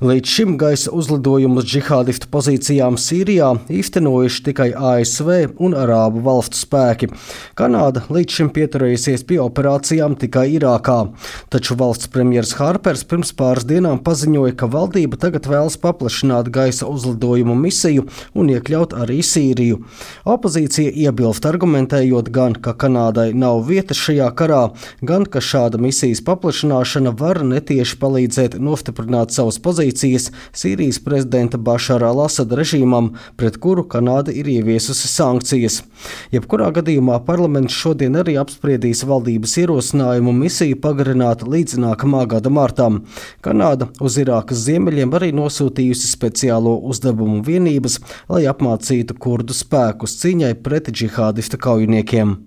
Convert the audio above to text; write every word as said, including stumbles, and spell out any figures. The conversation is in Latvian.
Līdz šim gaisa uzlidojumus džihādistu pozīcijām Sīrijā īstenojuši tikai A S V un Arābu valstu spēki. Kanāda līdz šim pieturējusies pie operācijām tikai Irākā, taču valsts premjers Harpers pirms pāris dienām paziņoja, ka valdība tagad vēlas paplašināt gaisa uzlidojumu misiju un iekļaut arī Sīriju. Opozīcija iebilst, argumentējot gan, ka Kanādai nav vietas šajā karā, gan, ka šāda misijas paplašināšana var netieši palīdzēt nostiprināt savas pozīcijas Sīrijas prezidenta Bašara al-Asada režīmam, pret kuru Kanāda ir ieviesusi sankcijas. Jebkurā gadījumā parlaments šodien arī apspriedīs valdības ierosinājumu misiju pagarināt līdz nākamā gada martam. Kanāda uz Irākas ziemeļiem arī nosūtījusi speciālo uzdevumu vienības, lai apmācītu kurdu spēkus cīņai pret džihādistu kaujiniekiem.